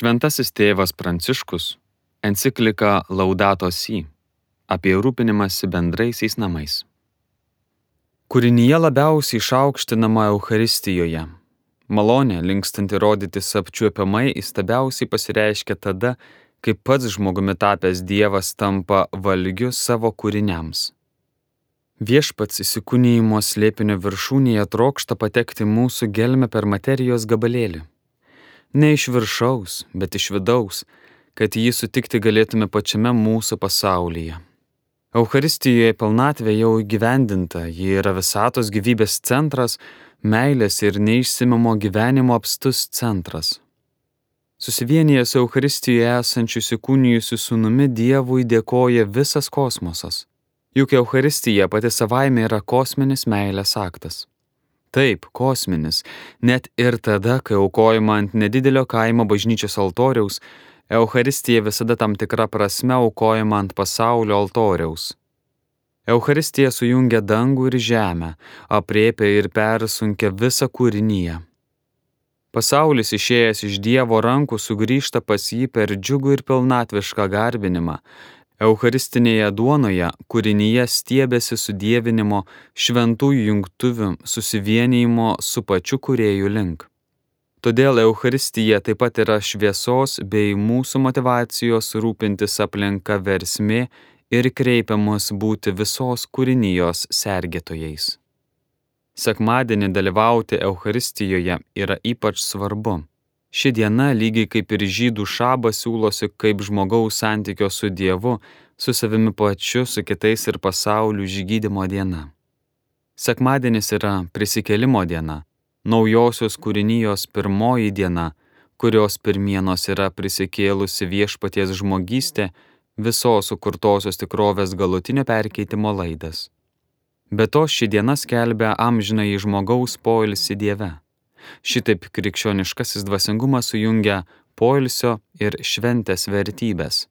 Šventasis tėvas Pranciškus enciklika Laudato Si apie rūpinimąsi bendraisiais namais. Kūrinyje labiausiai išaukštinama Eucharistijoje. Malonė, linkstanti rodytis apčiuopiamai, įstabiausiai pasireiškia tada, kai pats žmogumi tapęs Dievas tampa valgiu savo kūriniams. Viešpats įsikūnijimo slėpinio viršūnėje trokšta patekti mūsų gelmę per materijos gabalėlį. Ne iš viršaus, bet iš vidaus, kad jį sutikti galėtume pačiame mūsų pasaulyje. Eucharistijoje pilnatvė jau įgyvendinta, ji yra visatos gyvybės centras, meilės ir neišsemiamo gyvenimo apstus centras. Susivienijęs Eucharistijoje esančių įsikūnijusių sūnumi Dievui dėkoja visas kosmosas. Juk Eucharistija pati savaime yra kosminis meilės aktas. Taip, kosminis, net ir tada, kai aukojama ant nedidelio kaimo bažnyčios altoriaus, Eucharistija visada tam tikra prasme aukojama ant pasaulio altoriaus. Eucharistija sujungia dangų ir žemę, aprėpia ir persunkia visą kūriniją. Pasaulis išėjęs iš Dievo rankų sugrįžta pas jį per džiugų ir pilnatvišką garbinimą. Eucharistinėje duonoje kūrinyje stiebiasi sudievinimo, šventųjų jungtuvių, susivienijimo su pačiu kūrėju link. Todėl Eucharistija taip pat yra šviesos bei mūsų motyvacijos rūpintis aplinka versmė ir kreipiamus būti visos kūrinijos sergėtojais. Sekmadienį dalyvauti Eucharistijoje yra ypač svarbu. Ši diena, lygiai kaip ir žydų šabas, siūlosi kaip žmogaus santykio su Dievu, su savimi pačiu, su kitais ir pasauliu išgydymo diena. Sekmadienis yra prisikėlimo diena, naujosios kūrinijos pirmoji diena, kurios pirmienos yra prisikėlusi viešpaties žmogystė, visos sukurtosios tikrovės galutinio perkeitimo laidas. Be to, ši diena skelbia amžinąjį žmogaus poilsį Dieve. Šitaip krikščioniškasis dvasingumas sujungia poilsio ir šventės vertybės.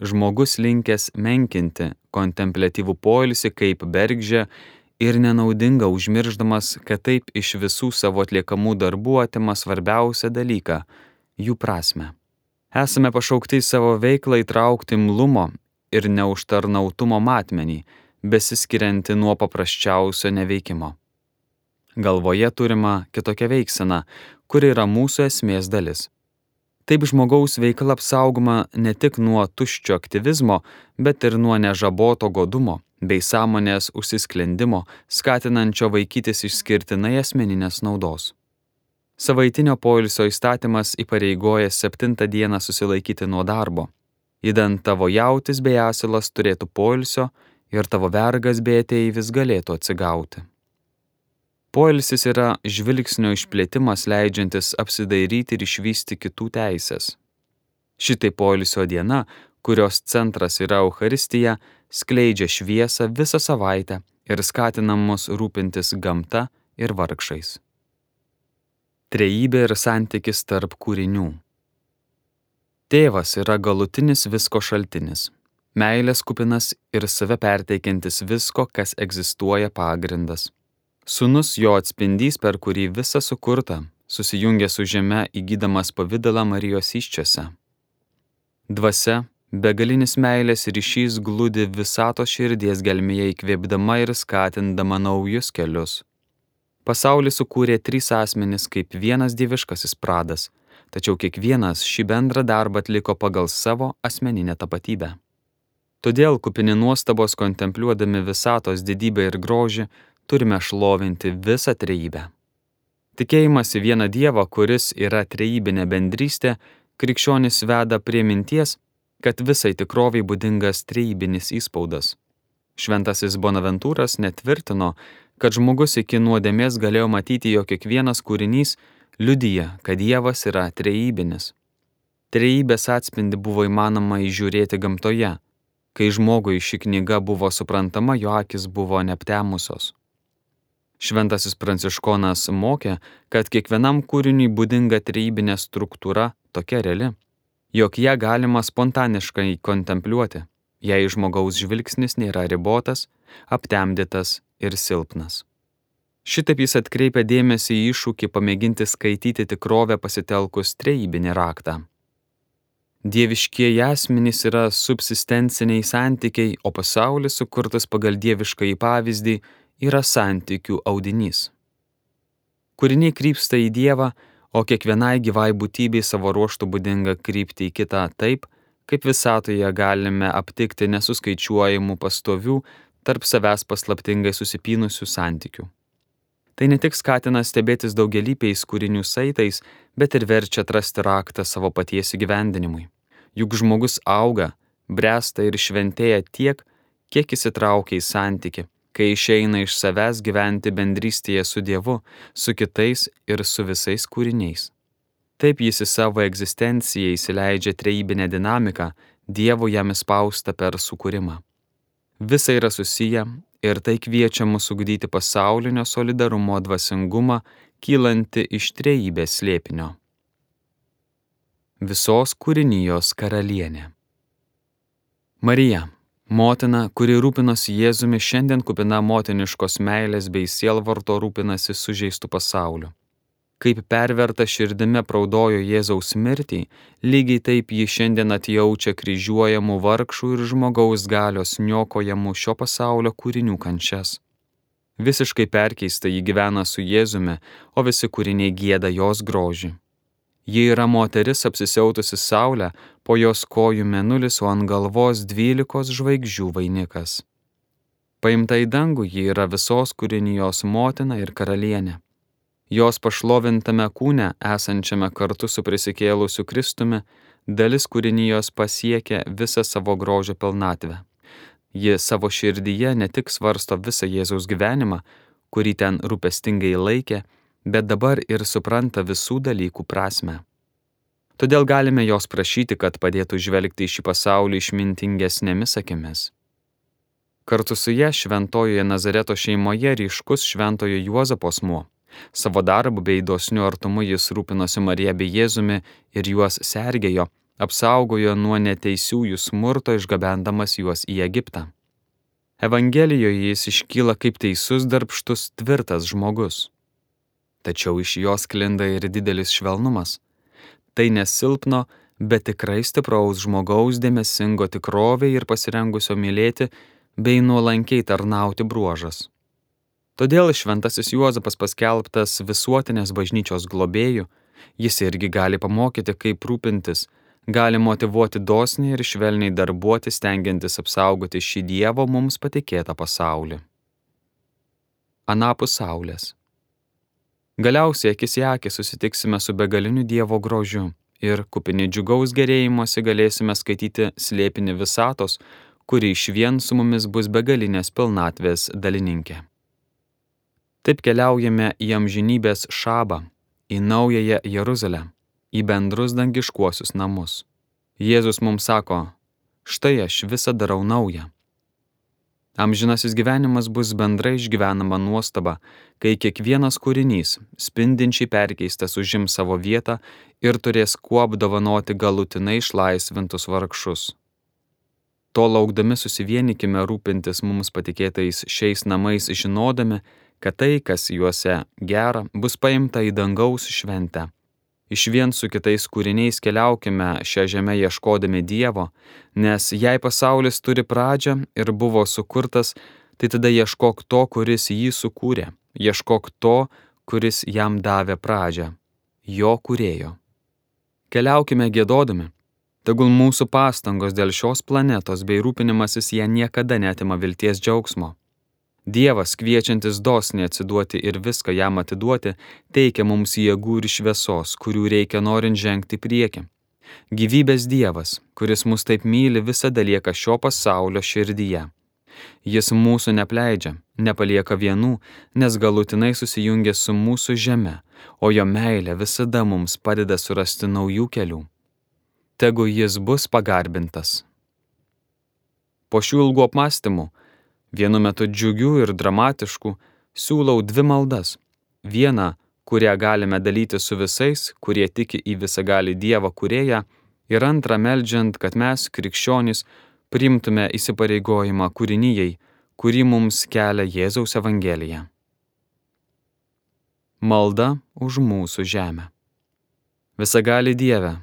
Žmogus linkęs menkinti kontempliatyvų poilsį kaip bergždžią ir nenaudingą, užmirždamas, kad taip iš visų savo atliekamų darbų atima svarbiausią dalyką – jų prasmę. Esame pašaukti į savo veiklą įtraukti imlumo ir neužtarnautumo matmenį, besiskirianti nuo paprasčiausio neveikimo. Galvoje turima kitokia veiksena, kuri yra mūsų esmės dalis. Taip žmogaus veikla apsaugoma ne tik nuo tuščio aktyvizmo, bet ir nuo nežaboto godumo bei sąmonės užsisklendimo, skatinančio vaikytis išskirtinai asmeninės naudos. Savaitinio poilsio įstatymas įpareigoja 7 dieną susilaikyti nuo darbo. Idant tavo jautis bei asilas turėtų poilsio ir tavo vergas bei ateivis galėtų atsigauti. Poilsis yra žvilgsnio išplėtimas, leidžiantis apsidairyti ir išvysti kitų teisės. Šitai poilsio diena, kurios centras yra Eucharistija, skleidžia šviesą visą savaitę ir skatina mus rūpintis gamta ir vargšais. Trejybė ir santykis tarp kūrinių. Tėvas yra galutinis visko šaltinis, meilės kupinas ir save perteikiantis visko, kas egzistuoja pagrindas. Sūnus jo atspindys, per kurį visa sukurta, susijungia su žeme įgydamas pavydalą Marijos įsčiose. Dvasia, begalinis meilės ryšys glūdi visatos širdies gelmėje įkvėpdama ir skatindama naujus kelius. Pasaulį sukūrė 3 asmenys kaip vienas dieviškasis pradas, tačiau kiekvienas šį bendrą darbą atliko pagal savo asmeninę tapatybę. Todėl kupini nuostabos kontempliuodami visatos didybę ir grožį, turime šlovinti visą trejybę. Tikėjimas į vieną Dievą, kuris yra trejybinė bendrystė, krikščionis veda prie minties, kad visai tikroviai būdingas trejibinis įspaudas. Šventasis Bonaventūras netvirtino, kad žmogus iki nuodėmės galėjo matyti, jog kiekvienas kūrinys liudija, kad Dievas yra trejibinis. Trejybės atspindį buvo įmanoma įžiūrėti gamtoje. Kai žmogui ši knyga buvo suprantama, jo akis buvo neaptemusios. Šventasis Pranciškonas mokė, kad kiekvienam kūriniui būdinga trejybinė struktūra tokia reali, jog ją galima spontaniškai kontempliuoti, jei žmogaus žvilgsnis nėra ribotas, aptemdytas ir silpnas. Šitaip jis atkreipia dėmesį į iššūkį pamėginti skaityti tikrovę pasitelkus trejybinį raktą. Dieviškieji asmenys yra subsistenciniai santykiai, o pasaulis, sukurtas pagal dieviškąjį pavyzdį, yra santykių audinys. Kūriniai krypsta į Dievą, o kiekvienai gyvai būtybei savo ruožtu būdinga krypti į kitą taip, kaip visatoje galime aptikti nesuskaičiuojamų pastovių, tarp savęs paslaptingai susipynusių santykių. Tai ne tik skatina stebėtis daugialypiais kūrinių saitais, bet ir verčia atrasti raktą savo paties įgyvendinimui. Juk žmogus auga, bręsta ir šventėja tiek, kiek įsitraukia į santykį, kai išeina iš savęs gyventi bendrystėje su Dievu, su kitais ir su visais kūriniais. Taip jis į savo egzistenciją įsileidžia trejybinę dinamiką, Dievo jam įspausta per sukūrimą. Visa yra susiję ir tai kviečia mus ugdyti pasaulinio solidarumo dvasingumą, kylanti iš trejybės slėpinio. Visos kūrinijos karalienė. Marija, motina, kuri rūpinosi Jėzumi, šiandien kupina motiniškos meilės bei sielvarto rūpinasi sužeistų pasauliu. Kaip perverta širdimi praudojo Jėzaus mirtį, lygiai taip ji šiandien atjaučia kryžiuojamų vargšų ir žmogaus galios niokojamų šio pasaulio kūrinių kančias. Visiškai perkeista ji gyvena su Jėzumi, o visi kūriniai gieda jos grožį. Ji yra moteris apsisiautusi saulę, po jos kojų mėnulis, o ant galvos 12 žvaigždžių vainikas. Paimta į dangų, ji yra visos kūrinijos motina ir karalienė. Jos pašlovintame kūne, esančiame kartu su prisikėlusiu Kristumi, dalis kūrinijos pasiekia visą savo grožio pilnatvę. Ji savo širdyje ne tik svarsto visą Jėzaus gyvenimą, kurį ten rūpestingai laikė, bet dabar ir supranta visų dalykų prasmę. Todėl galime jos prašyti, kad padėtų žvelgti į šį pasaulį išmintingesnėmis akimis. Kartu su ja šventojoje Nazareto šeimoje ryškus šventojo Juozapo asmuo. Savo darbu bei dosniu artumu jis rūpinosi Marija bei Jėzumi ir juos sergėjo, apsaugojo nuo neteisiųjų smurto, išgabendamas juos į Egiptą. Evangelijoje jis iškyla kaip teisus, darbštus, tvirtas žmogus. Tačiau iš jos sklinda ir didelis švelnumas. Tai nesilpno, bet tikrai stipraus žmogaus dėmesingo tikrovei ir pasirengusio mylėti bei nuolankiai tarnauti bruožas. Todėl šventasis Juozapas paskelbtas visuotinės bažnyčios globėju, jis irgi gali pamokyti, kaip rūpintis, gali motyvuoti dosniai ir švelniai darbuotis, stengiantis apsaugoti šį Dievo mums patikėtą pasaulį. Anapus saulės. Galiausiai akis į akį susitiksime su begaliniu Dievo grožiu ir kupini džiugaus gerėjimosi galėsime skaityti slėpinį visatos, kuri išvien su mumis bus begalinės pilnatvės dalininkė. Taip keliaujame į amžinybės šabą, į naująją Jeruzalę, į bendrus dangiškuosius namus. Jėzus mums sako, štai aš visą darau naują. Amžinasis gyvenimas bus bendrai išgyvenama nuostaba, kai kiekvienas kūrinys, spindinčiai perkeistas, užims savo vietą ir turės kuo apdovanoti galutinai išlaisvintus vargšus. To laukdami susivienykime rūpintis mums patikėtais šiais namais, žinodami, kad tai, kas juose gera, bus paimta į dangaus šventę. Išvien su kitais kūriniais keliaukime šią žemę ieškodami Dievo, nes jei pasaulis turi pradžią ir buvo sukurtas, tai tada ieškok to, kuris jį sukūrė, ieškok to, kuris jam davė pradžią, jo kūrėjo. Keliaukime giedodami. Tegul mūsų pastangos dėl šios planetos bei rūpinimasis ją niekada neatima vilties džiaugsmo. Dievas, kviečiantis dosniai atsiduoti ir viską jam atiduoti, teikia mums jėgų ir šviesos, kurių reikia norint žengti į priekį. Gyvybės Dievas, kuris mus taip myli, visada lieka šio pasaulio širdyje. Jis mūsų nepleidžia, nepalieka vienų, nes galutinai susijungia su mūsų žeme, o jo meilė visada mums padeda surasti naujų kelių. Tegu jis bus pagarbintas. Po šių ilgų apmąstymų, vienu metu džiugių ir dramatiškų, siūlau 2 maldas. Vieną, kurią galime dalyti su visais, kurie tiki į visagalį Dievą kūrėją, ir antrą meldžiant, kad mes, krikščionys, priimtume įsipareigojimą kūrinijai, kurį mums kelia Jėzaus Evangelija. Malda už mūsų žemę. Visagali Dieve,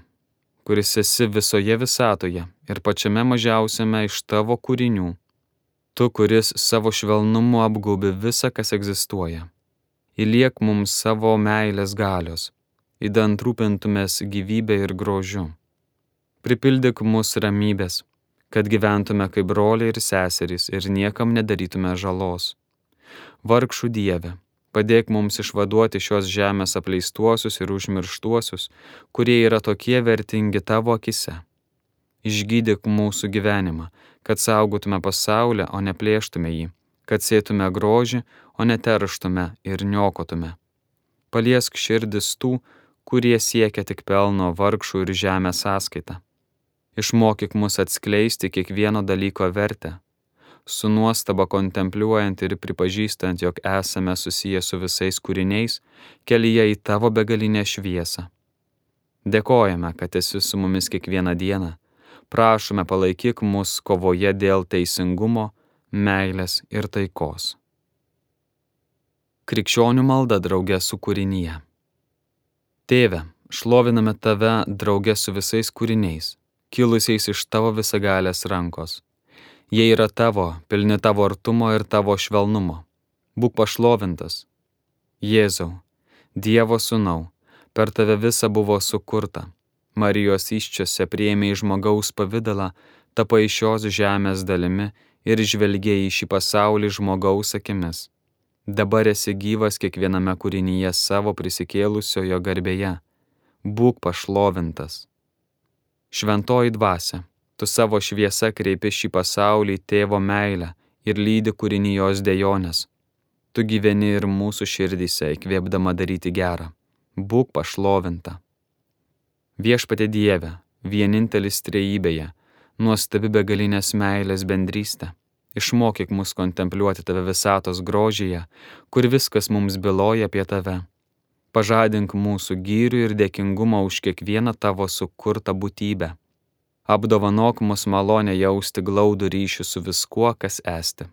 kuris esi visoje visatoje ir pačiame mažiausiame iš tavo kūrinių, tu, kuris savo švelnumu apgaubi visą, kas egzistuoja. Įliek mums savo meilės galios, idant rūpintumės gyvybę ir grožiu. Pripildyk mus ramybės, kad gyventume kaip broliai ir seserys ir niekam nedarytume žalos. Vargšų Dieve, padėk mums išvaduoti šios žemės apleistuosius ir užmirštuosius, kurie yra tokie vertingi tavo akise. Išgydyk mūsų gyvenimą, kad saugotume pasaulį, o ne plėštume jį, kad sėtume grožį, o ne terštume ir niokotume. Paliesk širdis tų, kurie siekia tik pelno vargšų ir žemės sąskaitą. Išmokyk mus atskleisti kiekvieno dalyko vertę, su nuostaba kontempliuojant ir pripažįstant, jog esame susiję su visais kūriniais, kelyje į tavo begalinę šviesą. Dėkojame, kad esi su mumis kiekvieną dieną. Prašome, palaikyk mus kovoje dėl teisingumo, meilės ir taikos. Krikščionių malda drauge su kūrinyje. Tėve, šloviname tave drauge su visais kūriniais, kilusiais iš tavo visagalės rankos. Jie yra tavo, pilni tavo artumo ir tavo švelnumo. Būk pašlovintas. Jėzau, Dievo sūnau, per tave visa buvo sukurta. Marijos įsčiose priėmei žmogaus pavidalą, tapai šios žemės dalimi ir žvelgėjai į šį pasaulį žmogaus akimis. Dabar esi gyvas kiekviename kūrinyje savo prisikėlusiojo garbėje. Būk pašlovintas. Šventoji dvasia, tu savo šviesa kreipi šį pasaulį tėvo meilę ir lydi kūrinijos dejonės. Tu gyveni ir mūsų širdyse, įkvėpdama daryti gerą. Būk pašlovinta. Viešpatie Dieve, vienintelis trejybėje, nuostabi begalinės meilės bendrystė. Išmokyk mus kontempliuoti tave visatos grožyje, kur viskas mums byloja apie tave. Pažadink mūsų gyrių ir dėkingumą už kiekvieną tavo sukurtą būtybę. Apdovanok mus malonę jausti glaudų ryšį su viskuo, kas esti.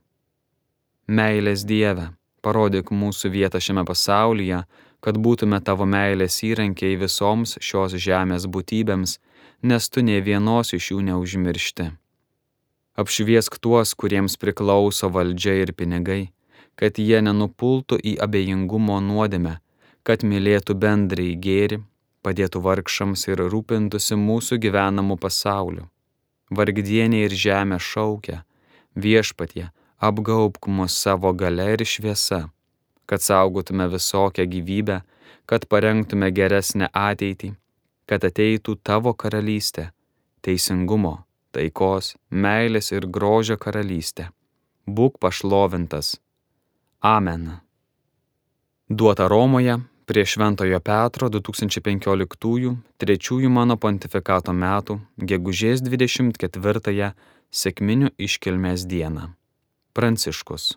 Meilės Dieve, parodyk mūsų vietą šiame pasaulyje, kad būtume tavo meilės įrankiai visoms šios žemės būtybėms, nes tu nė vienos iš jų neužmiršti. Apšviesk tuos, kuriems priklauso valdžia ir pinigai, kad jie nenupultų į abejingumo nuodėmę, kad mylėtų bendrąjį gėrį, padėtų vargšams ir rūpintųsi mūsų gyvenamų pasauliu. Vargdienė ir žemė šaukia, Viešpatie, apgaubk mus savo galia ir šviesa, kad saugotume visokią gyvybę, kad parengtume geresnę ateitį, kad ateitų tavo karalystė, teisingumo, taikos, meilės ir grožio karalystė. Būk pašlovintas. Amen. Duota Romoje prie Šventojo Petro 2015 trečiųjų mano pontifikato metų, gegužės 24 sekminių iškilmės dieną. Pranciškus.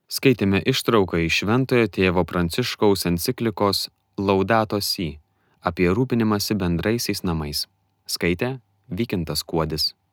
Skaitėme ištrauką iš Šventojo tėvo Pranciškaus enciklikos Laudato Si apie rūpinimąsi bendraisiais namais. Skaitė Vykintas Kuodis.